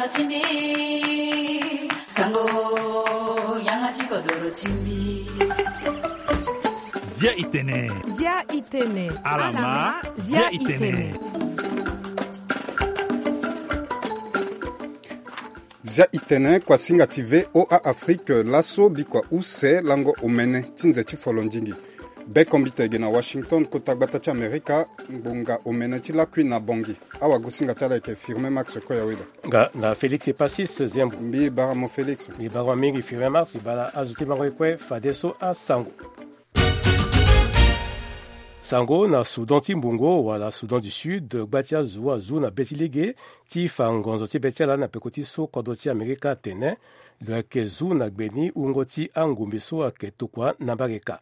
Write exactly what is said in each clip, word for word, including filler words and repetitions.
Timbi, sango, yanga ti kodoro timbi. Zia itene. Zia itene. Alama, zia itene. Zia itene, kuasinga ti V O A Afrique, laso bikua use lango omene ti nze ti folondingi. Bekombite ge na Washington, kota gbata ti Amerika, ngbonga omene ti lakui na Bongi. Awagosinga ti ala ayeke Firmin Max Koyaweda. Nga na Félix Epasis Zembo. Mbi bara mo Félix. Mbi bara mo mingi Firmin Max, mbi bara azo ti bango ye kue fadeso asango. Sango na Soudan ti Mbongo wala Soudan du Sud, gba ti azo azu na be ti lege ti fa ngonzo ti be ti ala na peko ti so kodro ti Amerika atene lo yeke zu na gbe ni wungo ti angombe so ayeke tokua na mbage ka.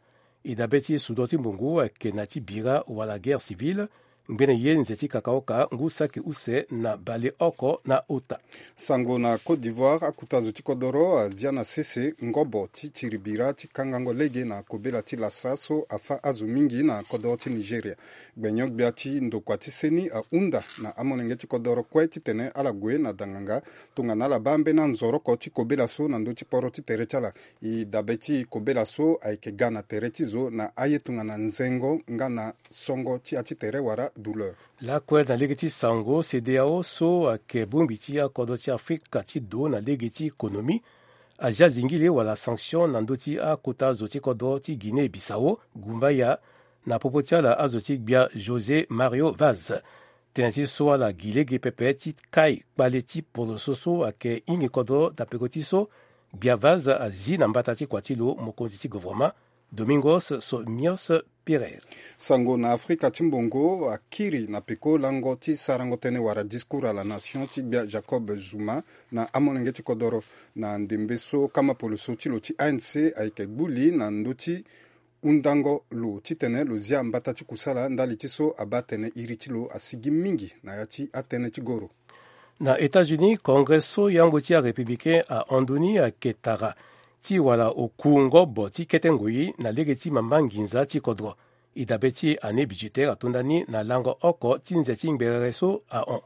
E dabe ti Soudan ti Mbongo ayeke na ti bira wala guerre civile, ngbene ye nze ti kakaoka ngu saki use na baleoko na ota. Sango na Côte d'Ivoire, akuta zo ti kodoro azia na sese ngobo ti tiri bira ti kangango lege na kobela ti lasa so afa azo mingi na kodoro ti Nigeria. Gbenyo-gbia ti ndokua ti seni ahunda na amolenge ti kodoro kue titene ala gue na danganga tongana ala baa mbeni anzoroko ti kobela so na ndö ti poro ti tere ti ala. E dabe ti kobela so ayeke ga na tere ti zo na aye tongana nzengo nga na songo ti ya ti tere wala douleur. Lakue na lege ti sango, CEDEAO so ayeke bongbi ti akodro ti Afrika ti do na lege ti économie azia zingili wala sanction na ndö ti akota zo ti kodro ti Guinée Bissau, gumbaya, na popo ti ala azo ti gbia José Mario Vaz. Tënë ti so ala gi lege pepe ti kai kpale ti poroso so ayeke hingi kodro na peko ti so gbia Vaz azi na mbata ti kua ti lo mokonzi ti govoroma, Domingos Somios Pereira. Sango na Afrika ti Mbongo akiri na peko lango ti sarango tënë wala discours à la nation ti gbia Jacob Zuma na amolenge ti kodoro na ndembe so kama poloso ti lo ti A N C ayeke gbu li na ndö ti hundango lo titene lo zia mbata ti kusala ndali ti so abaa atene iri ti lo asigi mingi na ya ti atënë ti goro. Na États-Unis, Congrès so yambo ti arépublicain ahon ndoni ayeke tara ti wala oku ngobo ti kete ngoi na lege ti mamba nginza ti kodro. E dabe ti année budgétaire atonda ni na lango oko ti nze ti ngberere so ahon.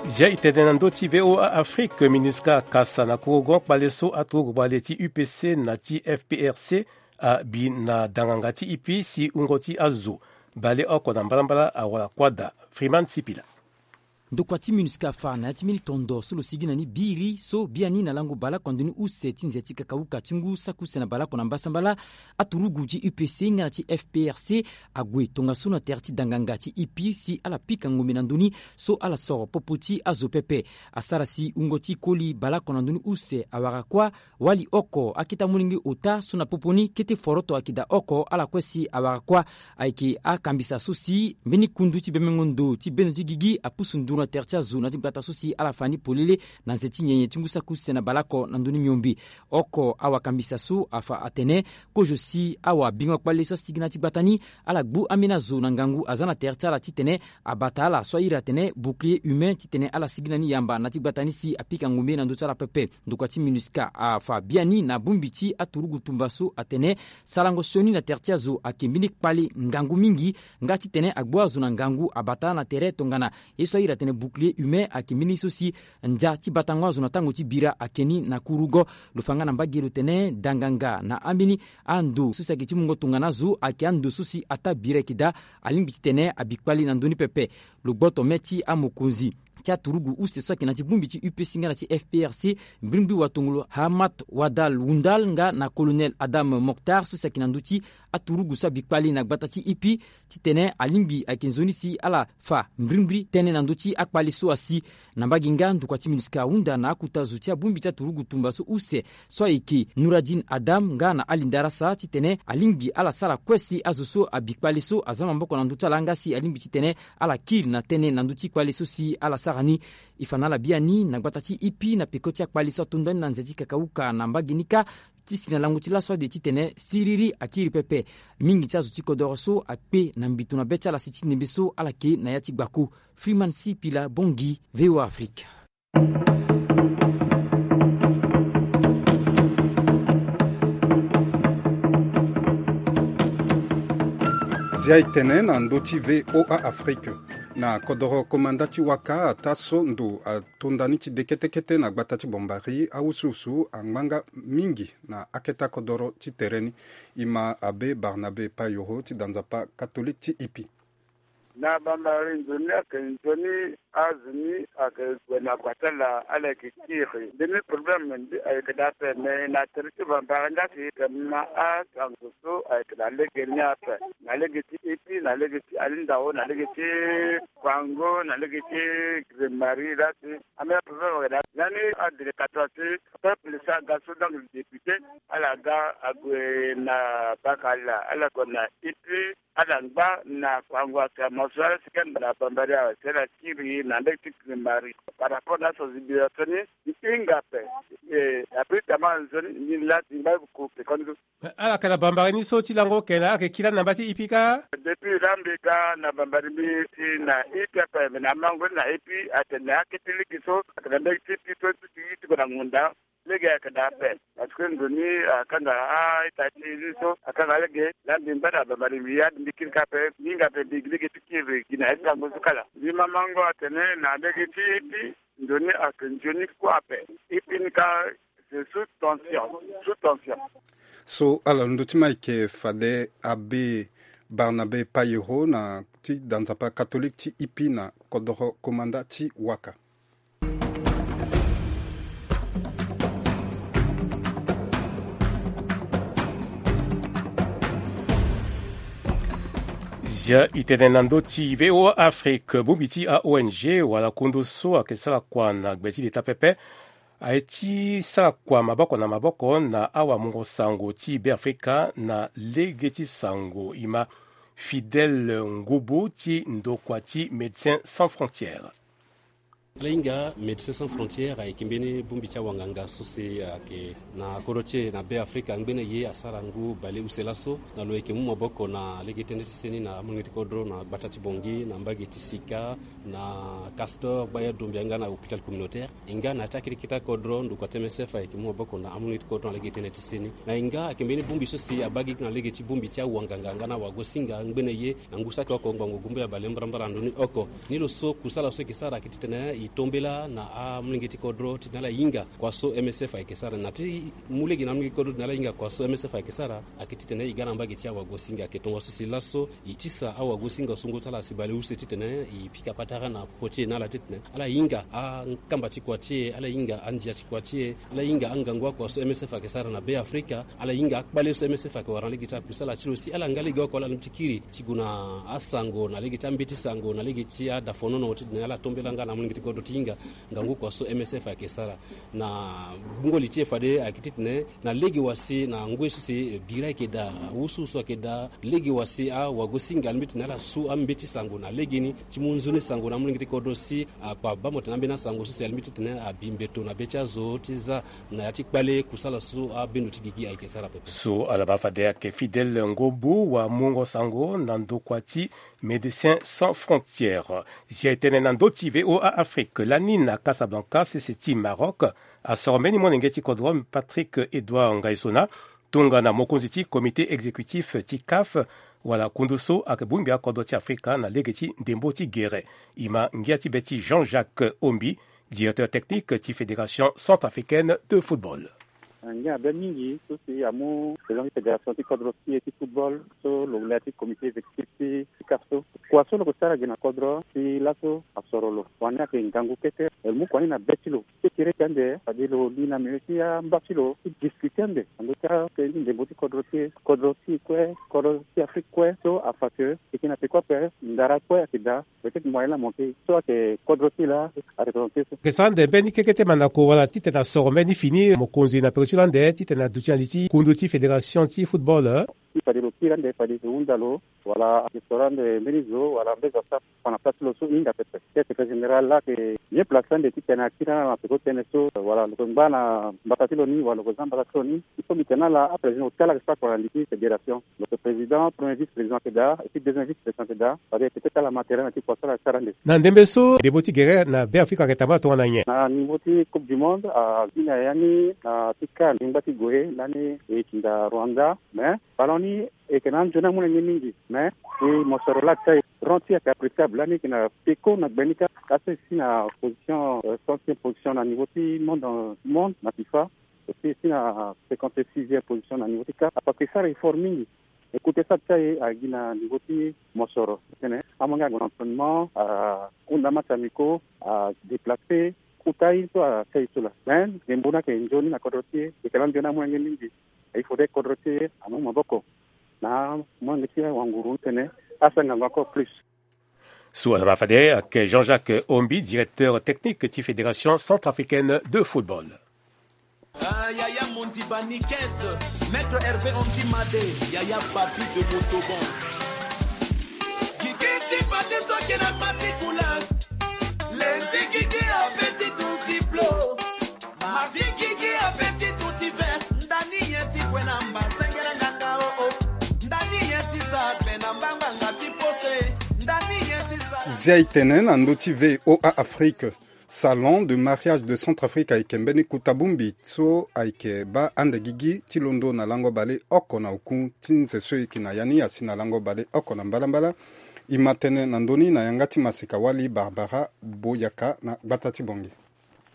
Zia e tene na ndö ti V O A Afrique, MINUSCA akasa na kurugo kpale so aturugu kpale ti U P C na ti F P R C abi na danganga ti ipi si wungo ti azo baleoko na mbalambala awara kua daa. Freeman Sipila. Ndokua ti MINUSCA afa na ya ti mbeni tondo so lo sigi na ni biri so biani na lango baleoko na ndoni use ti nze ti kakauka ti ngu saki use na baleoko na mbasambala, aturugu ti U P C nga na ti F P R C ague tongaso na tere ti danganga ti ipi si ala pika ngombe na ndoni so ala soro popo ti azo pepe. Asara si wungo ti koli baleoko na ndoni use awara kuâ, wali oko akete amolenge ota so na popo ni kete foroto ayeke daa oko ala kue si awara kuâ. Ayeke akambisa so si mbeni kundu ti bemengo ndo ti bendo ti gigi apusu nduru na tere ti azo na ti gbata so si ala fa ni polele na nze ti nyenye ti ngu saki use na baleoko na ndoni miombe. Oko awakambisa so afa atene kozo si awabingo kpale so asigi na ti gbata ni ala gbu ambeni azo na ngangu aza na tere ti ala titene abata ala so a iri atene bouclier humain titene ala sigi na ni yamba na ti gbata ni si apika ngombe na ndö ti ala pepe. Ndokua ti MINUSCA afa biani na bongbi ti aturugu tumba so atene sarango sioni na tere ti azo ayeke mbeni kpale ngangu mingi nga titene agbu azo na ngangu abata ala na tere tongana ye so a iri atene bouclier humain ayeke mbeni so si ndia ti batango azo na tango ti bira ayeke ni na kurugo. Lo fa nga na mbage lo tene danganga na ambeni ando so si ayeke ti mungo tongana azo ayeke ando so si ataa bira ayeke daa alingbi titene abi kpale na ndö ni pepe. Lo gboto mê ti amokonzi ti aturugu use so ayeke na ti bongbi ti U P C nga na ti F P R C, mbrimbri watongolo Hamad Wadal Wundal nga na colonel Adam Mokhtar so si ayeke na ndö ti aturugu so abi kpale na gbata ti ipi titene alingbi ayeke nzoni si ala fa mbrimbri tënë na ndö ti akpale so asi. Na mbage nga ndokua ti MINUSCA ahunda na akuta zo ti abongbi ti aturugu tumba so use so ayeke Nouradine Adam nga na Ali Ndarasa titene alingbi ala sara kue si azo so abi kpale so aza maboko na ndö ti ala nga si alingbi titene ala kiri na tënë na ndö ti kpale so si ala sara ni. E fa na ala biani na gbata ti ipi na peko ti akpale so atonda ni na nze ti kakauka na mbage ni kâ. Ti si na lango ti laso ade titene siriri akiri pepe. Mingi ti azo ti kodoro so akpe na mbito na be ti ala si ti ndembe so ala ke na ya ti gbako. Freeman Sipila, Bangui, V O A Afrique. Dia etene na ndo ti V O A Afrique. Na kodoro komanda ti waka ata so ndo atonda ni ti de kete kete na gbata ti Bombari, awusuwusu angbanga mingi na aketa kodoro ti tere ni. Ima Abbé Barnabé Payoro ti da nzapa catholique ti Ipi. Na Bambari nzoni ayeke nzoni azo ni ayeke gue na gua ti ala, ala yeke kiri. Mbeni problème ni ayeke daa ape, me na tere ti Bambari nga si yeke ma asango so ayeke na lege ni ape. Na lege ti Ipi, na lege ti Alindao, na lege ti Kwango, na lege ti Grimari, la si ambeni problème ayeke daa. Lani adélégateur ti peuple so aga so, donc le député, ala ga ague na Bakala, ala gue na Ipi, ala ngba na Kwango, ake mo so ala si kani na Bambari awe, si ala kiri na ndege ti Grimari. Par rapport na sensibilisation ni, e hinga ape. E, abrite ama nzoni ni laa ti ngba ku pekoni so. Ala yeke na Bambari ni so ti lango oko, ala yeke kiri lani na mba ti Ipi kâ? Depuis laa mbi ga na Bambari mbi ti na Ipi ape, me na mango ni na Ipi atene akete lege so ayeke na ndege ti Ipi so ti, ti, ti gue na ngonda. Lege ayeke daa ape. Parce que nzoni akanga a-ita ti ni so akanga lege. Laa mbi ngba na Bambari mbi ya mbi kiri kâ ape, mbi hinga ape mbi gi lege ti kiri gi na ya ti lango so kala. Mbi ma mango atene na lege ti Ipi, nzoni ayeke nzoni kue ape. Ipi ni kâ, c'est sous tension, sous tension. So ala londo ti ma ayeke fade Abbé Barnabé Payoro na ti da nzapa catholique ti Ipi na kodoro komanda ti waka. Zia e tene na ndö ti V O A Afrique, bongbi ti a-O N G wala kundu so ayeke sara kua na gbe ti leta pepe, aye ti sara kua maboko na maboko na awamungo sango ti Beafrika na lege ti sango, e ma Fidèle Ngobo ti ndokua ti Médecins Sans Frontières. Ala hinga Médecins Sans Frontières ayeke mbeni bongbi ti awanganga so si ayeke na kodro ti e na Beafrika. Ngbene ye asara ngu bale use laso na lo yeke mu maboko na lege tënë ti seni na amolenge ti kodro na gbata ti Bangui, na mbage ti Sika, na Castor, Gbaya, Dombia nga na hôpital communautaire. E nga na ya ti akete kete kodro, ndokua ti M S F ayeke mu maboko na amolenge ti kodro na lege tënë ti seni. Na e nga ayeke mbeni bongbi so si abaa gigi na lege ti bongbi ti awanganga nga na awagosinga. Ngbene ye na ngu saki oko ngbongo gumba ya bale mbarambara ndoni oko. Ni lo so kusala so e yeke sara ayeke titene e tombela na amolenge ti kodro titene ala hinga kua so M S F ayeke sara. Na ti mu lege na amolenge ti kodro titene ala hinga kua so M S F ayeke sara, ayeke titene e ga na mbage ti awagosinga. Ayeke tongaso si laso e tisa awagosinga so ngu ti ala asi bale use titene e pika patara na popo ti e na ala titene ala hinga akamba ti kua ti e, ala hinga andia ti kua ti e, ala hinga angangu akua so M S F ayeke sara na Beafrika, ala hinga akpale so M S F ayeke wara na lege ti akusala ti lo si ala nga lege oko ala ti kiri ti gue na asango na lege ti ambeti sango na lege ti adafonono titene ala tombela nga na amolenge ti kodro ti hinga ngangu kua so M S F ayeke sara. Na bungo li ti e fade ayeke titene na lege wa si na ngoi so si bira ayeke daa, wusuwusu ayeke daa, lege wa si awagosinga alingbi titene ala su ambeti sango na legeni ti mu nzoni sango na amolenge ti kodro si akpa baa mo tene ambeni asango so si alingbi titene abi mbeto na be ti azo ti za na ya ti kpale kusala so abendo ti gigi ayeke sara pepe. So ala baa fade ayeke Fidèle Ngobo, wamungo sango na ndokua ti Médecins Sans Frontières. Zia e tene na ndö ti V O A Afrique lani na Casablanca, sese ti Maroc, asoro mbeni molenge ti kodro Patrick Edouard Ngaisona, tongana mokonzi ti comité exécutif ti CAF, wala kundu so ayeke bongbi akodro ti Afrika na lege ti ndembo ti gere. E ma ngia ti be ti Jean-Jacques Ombi, directeur technique ti Fédération Centrafricaine de Football. Ngia be mingi so si amu président ti fédération ti kodro ti e ti football so lo le ya ti comité exécutif ti, ti CAF so. Kua so lo yeke sara gi na kodro si laso asoro lo. Wani ayeke ngangu kete. Lo mu kua ni na be ti lo. Ti kiri ti ande fade lo li na milieu ti amba ti lo ti discuter ande na ndö ti akete ti ndembo ti kodro ti e, kodro ti e kue, kodro ti Afrique kue. So afa ke e yeke na peko ape, ndara kue ayeke daa. Peut-être moyen la manqué. So ayeke kodro ti e laa areprésenter so. Ayeke sara ande mbeni kekete mandako wala titene asoro mbeni fini mokonzi na peko ti lo ande titene aduti na li ti kundu ti fédération ti football. Ti fade lo kiri ande fade lo hunda lo wala ayeke soro ande mbeni zo wala mbeni zo asara fa na place ti lo so e hinga pepe. Ti secrétaire général laa ayeke bien placé ande titene akiri na peko tënë so wala lo yeke ngba na mbata ti lo ni wala lo yeke za mbata ti lo ni. Il faut mbi tene na ala aprésident ota ala ayeke sara kua na li ti fédération. Lo yeke président, premier vice-président ayeke daa, et puis deuxième vice-président ayeke daa. Fade peut-être ala ma terrain na ti kua so ala sara ande. Na ndembe so ndembo ti gere na Beafrika ayeke tambula tongana nyen? Na niveau ti Coupe du Monde, abi na ya ni na ti CAN lingba ti gue lani e yeke hinda Rwanda. Mais ballon ni Eke na anzoni amolenge mingi, mais e mosoro la ti aye rang ti ake appréciable lani eke na peko na gbe ni kâ. Aso e si na position, euh, centième position na niveau ti monde, euh, monde na fifa. E si e si na cinquante-sixième position na niveau ti kâ. Ape ake sara effort mingi. Écoute, ça ti aye agi na niveau ti mosoro tene amolenge ague na entraînement, ahunda match amico, adéplacer. Kota ye so ake ye so la, mais ngembo ni ake nzoni na kodro ti e. Eke na nzoni amolenge mingi. Il faudrait kodro ti e amu maboko na molenge ti e wanguru titene asara ngangu encore plus. So ala ma fade ayeke Jean-Jacques Ombi, directeur technique ti Fédération centrafricaine de football. Ah, Yaya Mondi Banikes, Maître Hervé Omdi Made, Yaya Papi de Montauban. Gigi ti fade so ake na parti couleur. Lundi gigi ape ti duti blo. Mardi gigi ape ti duti vert. Ndani ye ti gue na mba sengere nganga o o. Ndani ye ti za gbe na mbangbanga ti poste. Ndani ye ti za. Zia e tene na ndö ti V O A Afrique. Salon de mariage de Centrafrique ayeke mbeni kota bongbi so ayeke baa ande gigi ti londo na lango baleoko na oku ti nze so e yeke na ya ni asi na lango baleoko na mbalambala. E ma tene na ndö ni na yanga ti maseka wali Barbara Boyaka na gbata ti Bongi.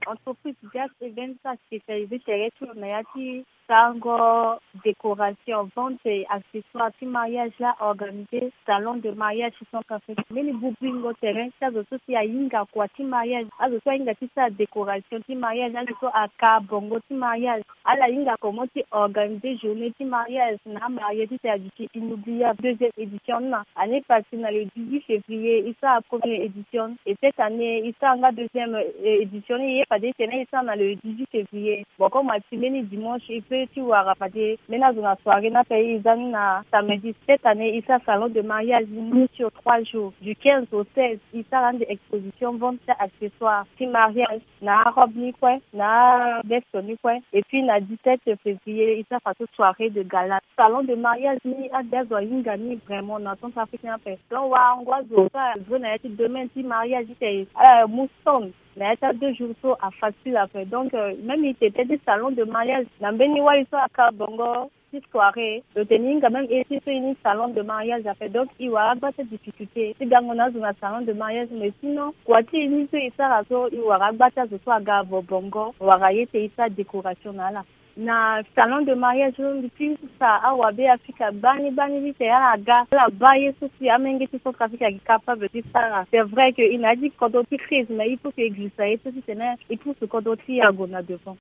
Entreprise Gas Events spécialisée tere ti lo na ya ti sarango décoration, vente et accessoires ti mariage la organisé salon de mariage ti Centrafrique. Mbeni bubingo terrain ti azo so si ahinga kua ti mariage, azo so ahinga ti sara décoration ti mariage, azo so aka bongo ti mariage, ala hinga comment ti organisé journée ti mariage na amarié ti tene aduti inoubliable deuxième édition ni na année passée na le dix-huit février e sara première édition et cette année e sara nga deuxième, euh, édition ni ye fade tene e sara na le dix-huit février. Bon, comme ati mbeni dimanche e peut ti wara fade mbeni azo na soirée ni ape e za ni na samedi. Cette année e sara salon de mariage ni sur trois jours, du quinze au seize. E sara ande exposition, vente ti accessoires ti mariage, na arobe ni kue, na aveste ni kue. Et puis na dix-sept février e sara fadeso soirée de gala. Salon de mariage ni ade azo ahinga ni vraiment na Centrafrique ni ape. Donc warango azo so avre na ya ti domaine ti mariage ti tene ala mu stand na ya ti adeux jours so afacile ape. Donc, euh, même e tene ti salon de mariage na mbeni wali so aka bongo ti soirée, lo tene e hinga même e ti so e ni salon de mariage ape. Donc e wara agba ti adifficulté ti gango na azo na salon de mariage. Mais sinon kua ti e ni so e sara so e wara agba ti azo so aga avo bongo wala ye ti e sara décoration na ala. Na salon de mariage so mbi ti sara awa Be Afrika gbani gbani ti tene ala ga ala baa ye so si amenge ti Centrafrique ayeke capable ti sara. C'est vrai que e na ya ti kodro ti crise, mais il faut que e girisa ye so ti tene e pousse kodro ti e ague na devant.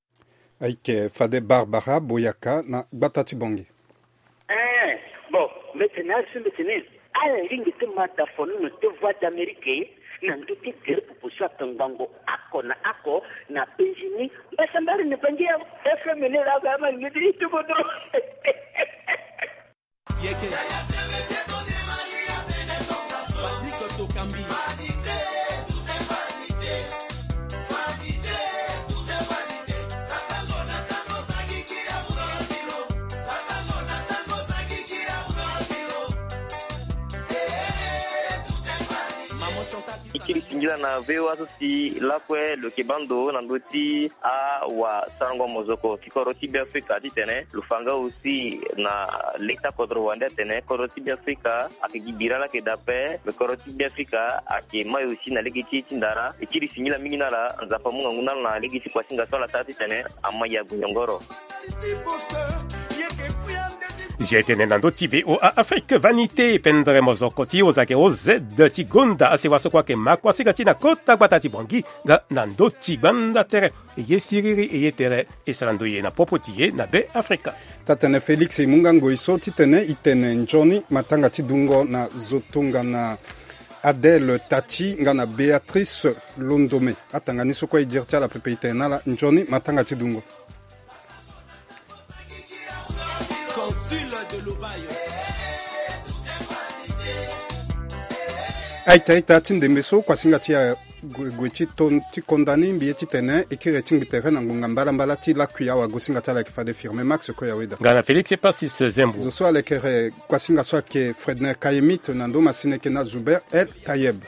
Ayeke fade Barbara Boyaka na gbata ti Bongi. Eh, bon, mbi tene azo mbi tene ala lingbi ti ma da fonono ti Voix d'Amérique na ndö ti gere popo so atongbango oko na oko na penzi ni. Mbasambara na bangi ya F M ni laa, ama lingbi ti tuku dro. Yeke. Patrick Tokambi. E kiri singila na V O A so si lakue lo yeke baa ndo na ndö ti awasarango mozoko ti kodro ti Beafrika titene lo fa nga aussi na leta kodro wande atene kodro ti Beafrika ayeke gi bira laa ayeke daa ape, me kodro ti Beafrika ayeke mai aussi na lege ti e ti ndara. E kiri singila mingi na ala, Nzapa amu ngangu na ala na lege ti kuasinga so ala sara titene ama ya gue nyongoro. Zia e tene na ndö ti V O A Afrique Vanité, pendere mozoko ti hozake O Z ti gonda asewa so kue ayeke ma kuasinga ti e na kota gbata ti Bongi nga na ndö ti gbanda tere. E ye siriri, e ye tere, e sara ndoye na popo ti e na Be Afrika. Taa-tene Félix, e mu nga ngoi so titene e tene nzoni matanga ti dungo na zo tongana Adèle Tati nga na Béatrice Londome. Atanga ni so kue e diri ti ala pepe, e tene na ala nzoni matanga ti dungo. Aita aita ti ndembe so kuasinga ti ague, gue ti ton, ti konda ni mbi ye titene e kiri ti ngbi tere na ngonga mbalambala ti lakui awagosinga ti ala ayeke fade Firmin Max Koyaweda. Nga na Félix Epasis Zembo. Zo so alekere kuasinga so ayeke Fredner Kayemite na ndo masine ayeke na Zuber El Tayeb.